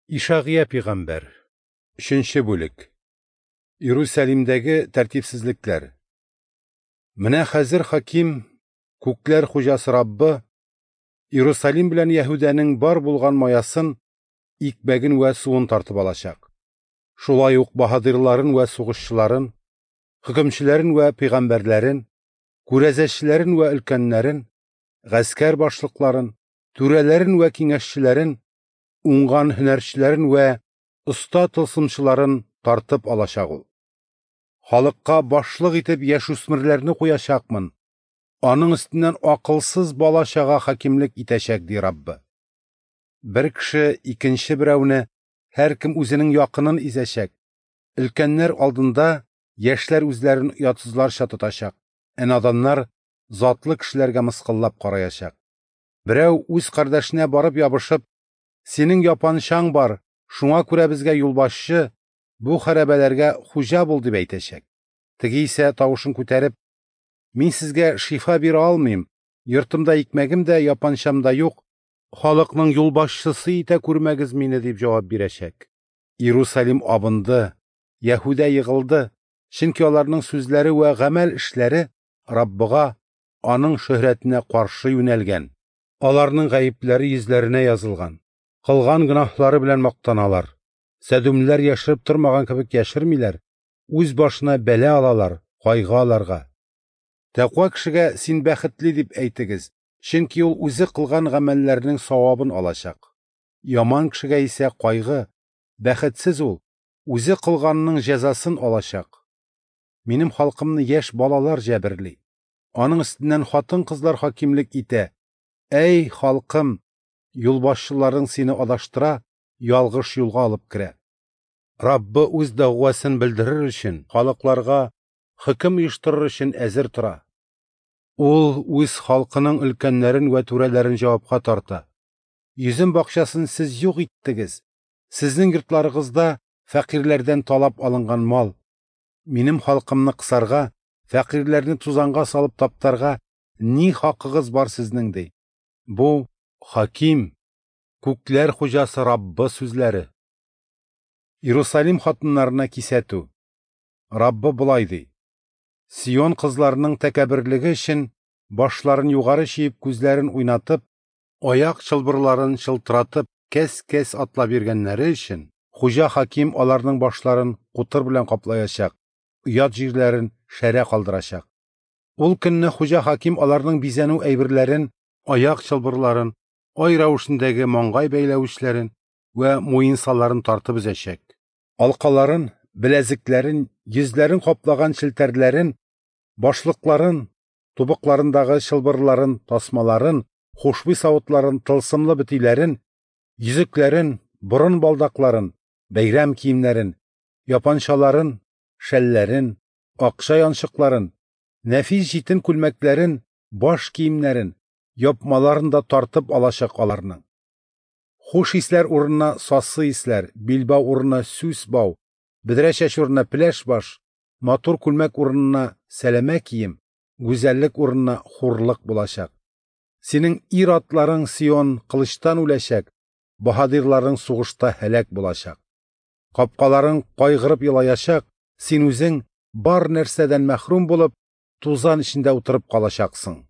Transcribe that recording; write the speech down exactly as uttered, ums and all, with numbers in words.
Ишагыя пәйгамбәр. Өченче бүлек. Иерусалимдәге тәртипсезлекләр. Менә хәзер хаким, күкләр хуҗасы Раббы, Иерусалим белән Яһүдәнең бар булган маясын, икмәген вә суын тартып алачак. Шулай ук баһадирларын вә сугышчыларын, хөкемчеләрен вә пәйгамбәрләрен, күрәзәчеләрен вә өлкәннәрен, гаскәр башлыкларын, түрәләрен вә киңәшчеләрен, уңган һөнәрчеләрен вә оста тылсымчыларын тартып алачак ул. Халыкка башлык итеп яшүсмерләрне куячакмын, аның өстеннән акылсыз бала-чага хакимлек итәчәк, ди Раббы. Бер кеше икенче берәүне, һәркем үзенең якынын изәчәк. Өлкәннәр алдында яшьләр үзләрен оятсызларча тотачак, ә наданнар затлы кешеләргә мыскыллап караячак. Берәү үз кардәшенә барып ябышып, синең япанчаң бар, шуңа күрә безгә юлбашчы, бу хәрабәләргә хуҗа бул, дип әйтәчәк. Теге исә тавышын күтәреп, мин сезгә шифа бирә алмыйм, йортымда икмәгем дә, япанчам да юк, халыкның юлбашчысы итә күрмәгез мине, дип җавап бирәчәк. Иерусалим абынды, Яһүдә егылды, чөнки аларның сүзләре вә гамәл эшләре Раббыга, аның шөһрәтенә каршы юнәлгән. Аларның гаепләре йөзләренә язылган. Кылган гөнаһлары белән мактаналар. Сәдүмләр яшереп тормаган кебек яшермиләр, үз башына бәла алалар, кайгы аларга. Тәкъва кешегә син бәхетле дип әйтегез, чөнки ул үзе кылган гамәлләрнең савабын алачак. Яман кешегә исә кайгы, бәхетсез ул, үзе кылганның җәзасын алачак. Минем халкымны яшь балалар җәберли. Аның өстеннән хатын-кызлар хакимлек итә. Әй, халкым, юлбашчыларың сине адаштыра, ялгыш юлга алып керә. Раббы үз дәгъвасын белдерер өчен, халыкларга хөкем оештырыр өчен әзер тора. Ул үз халкының өлкәннәрен вә түрәләрен җавапка тарта. Йөзем бакчасын сез юк иттегез. Сезнең йортларыгызда фәкыйрьләрдән талап алынган мал. Минем халкымны кысарга, фәкыйрьләрне тузанга салып таптарга ни хакыгыз бар сезнең, ди. Бу хаким, күкләр хуҗасы Раббы сүзләре. Иерусалим хатыннарына кисәтү. Раббы болай ди: Сион кызларының тәкәбберлеге өчен башларын югары чөеп, күзләрен уйнатып, аяк чылбырларын чылтыратып, кәс-кәс атлап йөргәннәре өчен хуҗа хаким аларның башларын кутыр белән каплаячак, оят җирләрен шәрә калдырачак. Ул көнне хуҗа хаким аларның бизәнү әйберләрен, аяк чылбырларын, ай рәвешендәге маңгай бәйләвечләрен вә муенсаларын тартып өзәчәк. Алкаларын, беләзекләрен, йөзләрен каплаган челтәрләрен, башлыкларын, тубыкларындагы чылбырларын, тасмаларын, хушбуй савытларын, тылсымлы бөтиләрен, йөзекләрен, борын балдакларын, бәйрәм киемнәрен, япанчаларын, шәлләрен, акча янчыкларын, нәфис җитен күлмәкләрен, баш киемнәрен, япмаларын да тартып алачак аларның. Хуш исләр урынына сасы исләр, билбау урынына сүс бау, бөдрә чәч урынына пеләш баш, матур күлмәк урынына сәләмә кием, гүзәллек урынына хурлык булачак. Синең ир-атларың, Сион, кылычтан үләчәк, баһадирларың сугышта һәлак булачак. Капкаларың кайгырып елаячак, син үзең бар нәрсәдән мәхрүм булып, тузан эчендә утырып калачаксың.